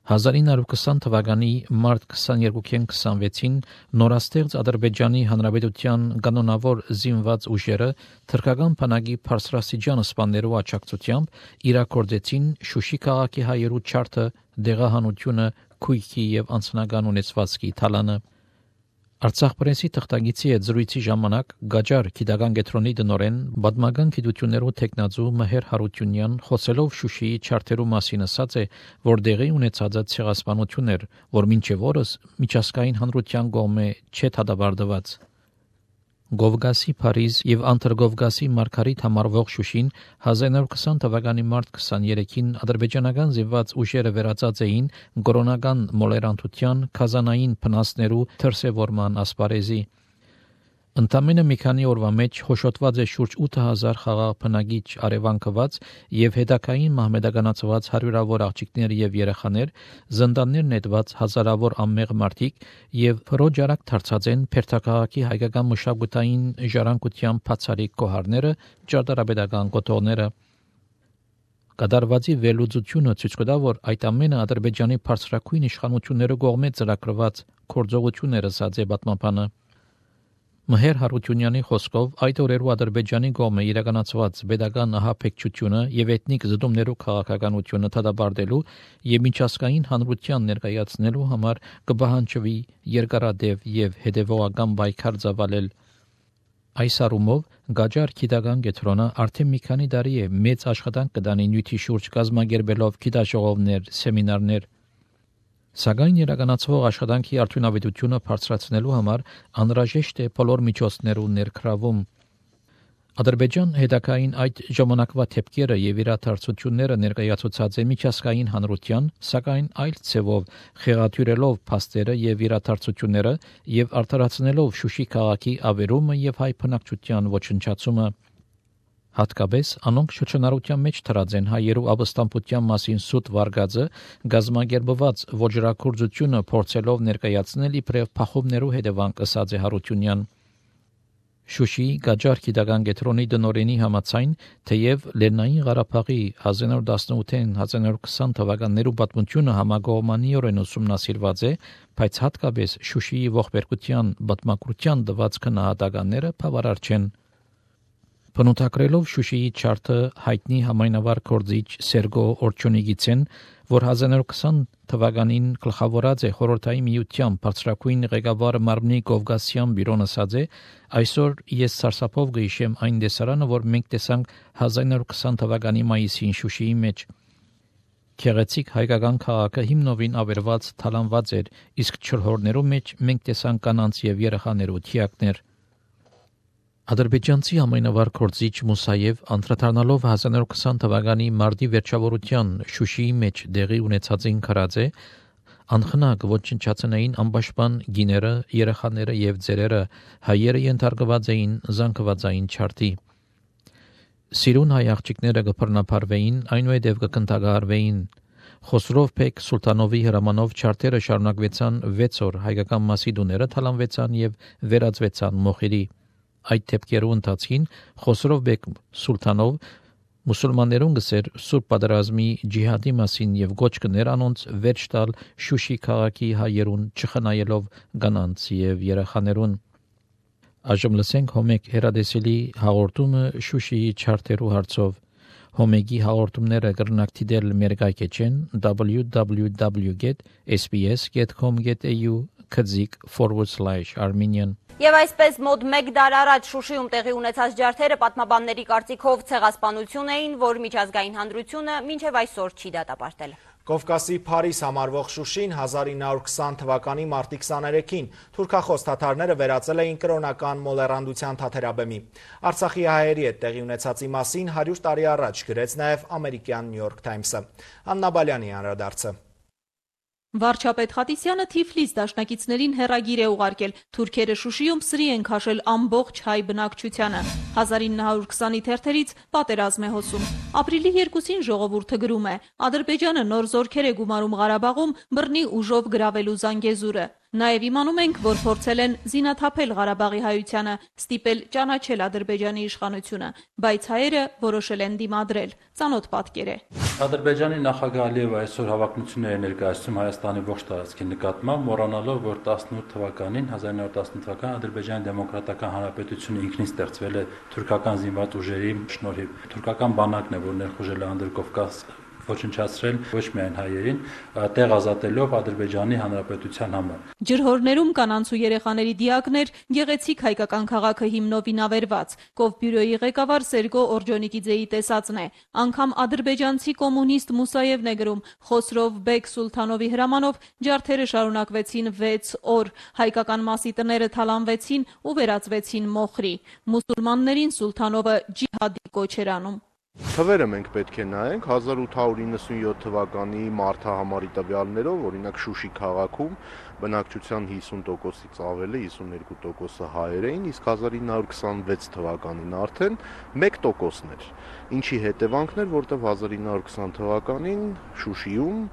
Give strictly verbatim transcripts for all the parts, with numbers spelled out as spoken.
հազար ինը հարյուր քսան թվականի մարտ քսաներկուին քսանվեցին նորաստեղծ Ադրբեջանի Հանրապետության կանոնավոր զինված ուժերը թրքական բանակի բարձրաստիճան սպաներու աջակցությամբ իրաքորձեցին Շուշի քաղաքի հայերու չարթը, դեղահանությունը, քույքի եւ անձնական ունեցվածքի թալանը։ Արցախ պրեսի թղթագիտի հետ զրույցի ժամանակ Գաջար գիտական կենտրոնի տնօրեն պատմական գիտություններու տեխնացու Մհեր Հարությունյան խոսելով Շուշիի չարթերու մասին ասաց է, որ դեղի ունեցած ցեղասպանություն էր, որ մինչև օրս միջազգային հանրության կողմէ չէ դադարեցված։ Գովգասի Փարիզ եւ Անտերգովգասի Մարգարիտ համարվող Շուշին հազար ինը հարյուր քսան թվականի մարտ քսաներեքին ադրբեջանական զինված ուժերը վերածած էին կորոնական մոլերանտության քազանային փնասներու դրսևորման ասպարեզի։ Ընդամենը մի քանի օրվա մեջ հոշոտված է շուրջ ութ հազար խաղաղ բնակիչ արևանքված եւ հետակային մահմեդականացված հարյուրավոր աղջիկներ եւ երեխաներ, զնդաններ նետված հազարավոր անմեղ մարդիկ եւ փրոջարակ դարձած են Փերթաքաղաքի հայկական մշակութային ժառանգության բացառիկ կոհարները, ճարտարապետական կոթողները։ Կատարվածի վերլուծությունը ցույց կտա, որ այդ ամենը Ադրբեջանի բարձրակույն իշխանությունների կողմից ծրագրված գործողությունները ասաց է պատմաբանը։ Մհեր Հարությունյանի խոսքով այդ օրերու Ադրբեջանի կողմը իրականացված pedagogan ահաբեկչությունը եւ էթնիկ զդումներու քաղաքականությունը դադարելու եւ միջազգային հանրության ներկայացնելու համար կպահանջվի երկարատև եւ հետեւողական պայքար ծավալել։ Այս առումով Գաջար գիտական կենտրոնը արդեն մի քանի տարի է մեծ աշխատանք կդանի նյութի շուրջ կազմակերպելով գիտաժողովներ, սեմինարներ։ Սակայն իրականացվող աշխատանքի արդյունավետությունը բարձրացնելու համար անհրաժեշտ է բոլոր միջոցներու ներգրավում։ Ադրբեջան հետակային այդ ժամանակվա թեփքերը եւ իրադարձությունները ներկայացուցած է միջազգային հանրության, սակայն այլ ցևով խեղաթյուրելով փաստերը եւ իրադարձությունները եւ արդարացնելով Շուշի քաղաքի ավերումը եւ հայ բնակչության ոչնչացումը։ Հատկապես անոնք շրջանառության մեջ թրած են հայերու ապստամբության մասին սուտ վարգածը գազམ་ագերբված ոչրակորձությունը փորձելով ներկայացնել իբրև փախովներու հետևանք ըսած է Հարությունյան։ Շուշիի Գաջար գիտական կենտրոնի տնօրենի համաձայն, թեև Լեռնային Ղարաբաղի հազար ինը հարյուր տասնութին հազար ինը հարյուր քսան թվականներու պատմությունը համագողմանիորեն ուսումնասիրված է, բայց հատկապես Շուշիի ողբերգության պատմագրության տված քննադատականները բավարար չեն։ Բնութագրելով Շուշիի չարթը հայտնի համայնավար գործիչ Սերգո Օրչոնիգիցեն, որ հազար ինը հարյուր քսան թվականին գլխավորած է խորհրդային միության բարձրակույն ղեկավար Մարմնի Կովգասյան բյուրոն ասած է, այսօր ես սարսափով գիշեմ այն տեսարանը, որ մենք տեսանք հազար ինը հարյուր քսան թվականի մայիսին Շուշիի մեջ։ Քեղեցիկ հայկական քաղաքը հիմնովին ավերված թալանված էր, իսկ չորհորներու մեջ մենք տեսանք կանանց եւ երեխաներու թիակներ։ Ադրբեջանցի ամենավառ գործիչ Մուսաև անդրադառնալով հազար ինը հարյուր քսան թվականի մարտի վերջավորության Շուշիի մեջ դեղի ունեցածին քրած է, անխնակ ոչնչացնային անպաշտպան գիները, երեխաները եւ ծերերը, հայերը ենթարկված էին զանգվածային չարթի։ Սիրուն հայ աղջիկները կբռնապարվեին, այնուհետև կկնդագարվեին։ Խոսրով Բեկ Սուլտանովի հրամանով չարթերը շարունակվեցան վեց օր, հայկական մասիդուները թալանվեցան եւ վերածվեցան մոխիրի։ Այդ թեփքերու ընթացքին Խոսրով Բեկ Սուլտանով մուսուլմաններուն գսեր սուրբ պատերազմի ջիհադի մասին եւ գոչ կներ անոնց վերջ տալ Շուշի քաղաքի հայերուն չխնայելով կանանց եւ երեխաներուն։ Այժմ լսենք Հոմեկ հերադեսելի հաղորդումը Շուշիի չարթերու հարցով։ Հոմեգի հաղորդումները կրնակ դիտել մեր գայքեջեն double-u double-u double-u dot s b s dot com dot a u քծիկ forward slash armenian Եվ այսպես մոտ մեկ դար առաջ Շուշիում տեղի ունեցած ջարդերը պատմաբանների կարծիքով ցեղասպանություն էին, որ միջազգային հանրությունը մինչև այսօր չի դատապարտել։ Կովկասի Փարիզ համարվող Շուշին հազար ինը հարյուր քսան թվականի մարտի քսաներեքին թուրքախոս թաթարները վերածել էին կրոնական մոլեռանդության թաթերաբեմի։ Արցախի հայերի հետ տեղի ունեցածի մասին հարյուր տարի առաջ գրեց նաև ամերիկյան New York Times-ը։ Աննա Բալյանի անդրադարձը։ Վարչապետ Խատիսյանը Թիֆլիս դաշնակիցներին հեռագիր է ուղարկել։ Թուրքերը Շուշիում սրի են քաշել ամբողջ հայ բնակչությանը։ հազար ինը հարյուր քսանի թերթերից պատերազմ է հոսում։ Ապրիլի երկուսին ժողովուրդը գրում է. Ադրբեջանը նոր զորքեր է գումարում Ղարաբաղում բռնի ուժով գրավելու Զանգեզուրը։ Նաև իմանում ենք, որ փորձել են զինաթափել Ղարաբաղի հայությանը, ստիպել ճանաչել Ադրբեջանի իշխանությունը, բայց հայերը որոշել են դիմադրել։ Ծանոթ պատկեր է։ Ադրբեջանի նախագահ Ալիևը այսօր հավակնություններ է ներկայացնում Հայաստանի ողջ տարածքի նկատմամբ, մոռանալով, որ տասնութ թվականին, հազար նույն հարյուր տասնութ թվականին Ադրբեջանի դեմոկրատական հանրապետությունը ինքնին ստեղծվել է թուրքական զինված ուժերի շնորհիվ։ Թուրքական բանակն է, որ ներխուժել է Անդրկովկաս ոչնչացրել ոչ միայն հայերին, տեղ ազատելով Ադրբեջանի հանրապետության համար։ Ջրհորներում կանանց ու երեխաների դիակներ, գեղեցիկ հայկական քաղաքը հիմնով ինավերված, Կովբյուրոյի ղեկավար Սերգո Օրջոնիկիձեի տեսածն է։ Անգամ ադրբեջանցի կոմունիստ Մուսաևն է գրում. Խոսրով Բեկ Սուլթանովի հրամանով ջարդերը շարունակվեցին վեց օր, հայկական մասի տները թալանվեցին ու վերածվեցին մոխրի։ Մուսուլմաններին Սուլթանովը ջիհադի կոչ էր անում։ Թվերը մենք պետք է նայենք հազար ութ հարյուր իննսունյոթ թվականի մարտահամարի տվյալներով, օրինակ Շուշի քաղաքում բնակչության հիսուն տոկոսից ավելը, հիսուներկու տոկոսը հայեր էին, իսկ հազար ինը հարյուր քսանվեց թվականին արդեն մեկ տոկոսն էր, ինչի հետևանքն էր, որտեղ հազար ինը հարյուր քսան թվականին Շուշիում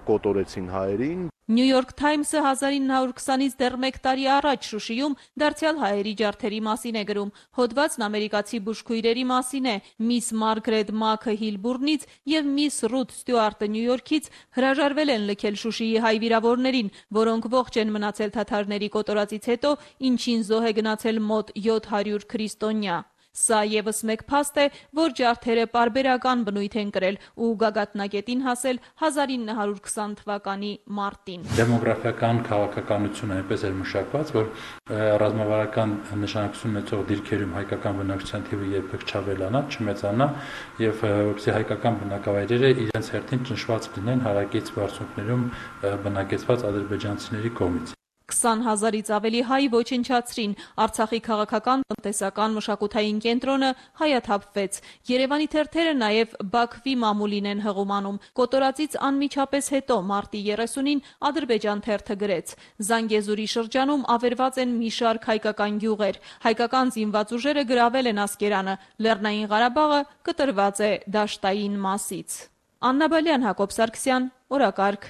կոտորեցին հայերին։ New York Times-ը հազար ինը հարյուր քսանից դեռ մեկ տարի առաջ Շուշիում դարձյալ հայերի ջարդերի մասին է գրում։ Հոդվածն ամերիկացի բուժքույրերի մասին է։ Միս Մարգրետ Մաքը Հիլբուրնից եւ միս Ռութ Ստյուարտը Նյու Յորքից հրաժարվել են լքել Շուշիի հայ վիրավորներին, որոնք ողջ են մնացել թաթարների կոտորածից հետո, ինչին զոհ է գնացել մոտ յոթ հարյուր քրիստոնյա։ Սա եւս մեկ փաստ է, որ ջարդերը պարբերական բնույթ են կրել ու գագաթնակետին հասել հազար ինը հարյուր քսան թվականի մարտին։ Դեմոգրաֆիական քաղաքականությունը այնպես էր մշակված, որ ռազմավարական նշանակություն ունեցող դիրքերում հայկական բնակչության թիվը երբեք չավելանա, չմեծանա եւ որպեսզի հայկական բնակավայրերը իրենց հերթին ճնշված լինեն հարակից բարձունքներում բնակեցված ադրբեջանցիների կողմից։ քսան հազարից ավելի հայ ոչնչացրին, Արցախի քաղաքական, տնտեսական, մշակութային կենտրոնը հայաթափվեց։ Երևանի թերթերը նաև Բաքվի մամուլին են հղումանում։ Կոտորածից անմիջապես հետո մարտի երեսունին Ադրբեջան թերթը գրեց. Զանգեզուրի շրջանում ավերված են մի շարք հայկական գյուղեր։ Հայկական զինված ուժերը գրավել են Ասկերանը։ Լեռնային Ղարաբաղը կտրված է դաշտային մասից։ Աննա Բալյան, Հակոբ Սարգսյան, օրակարգ։